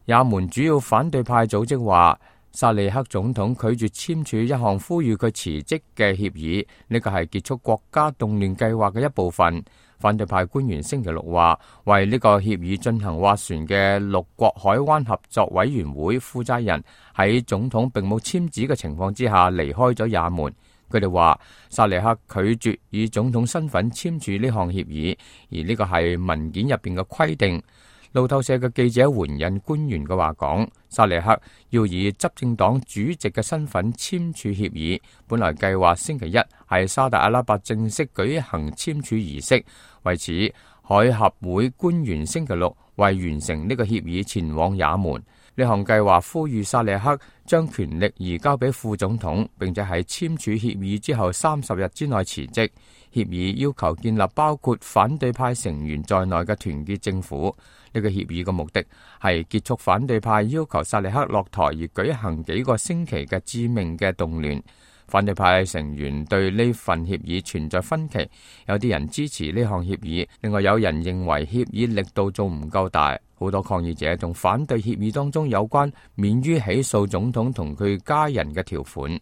也門主要反對派組織話，薩利克總統拒絕簽署一項呼籲佢辭職嘅協議，呢個係結束國家動亂計劃嘅一部分。反對派官員星期六話，為呢個協議進行斡旋嘅6國海灣合作委員會負責人喺總統並冇簽字嘅情況之下離開咗也門。佢哋話，薩利克拒絕以總統身份簽署呢項協議，而呢個係文件入邊嘅規定。路透社嘅記者援引官員嘅話講，薩利克要以執政黨主席嘅身份簽署協議，本來計劃星期一喺沙特阿拉伯正式舉行簽署儀式。為此，海合會官員星期六為完成呢個協議前往也門。呢項計劃呼籲薩利克將權力移交俾副總統，並且喺簽署協議之後30日之內辭職。協議要求建立包括反對派成員在內嘅團結政府。呢個協議嘅目的係結束反對派要求薩利克落台而舉行幾個星期嘅致命嘅動亂。反對派成員對呢份協議存在分歧，有啲人支持呢項協議，另外有人認為協議力度仲唔夠大。好多抗議者仲反對協議當中有關免於起訴總統同佢家人嘅條款。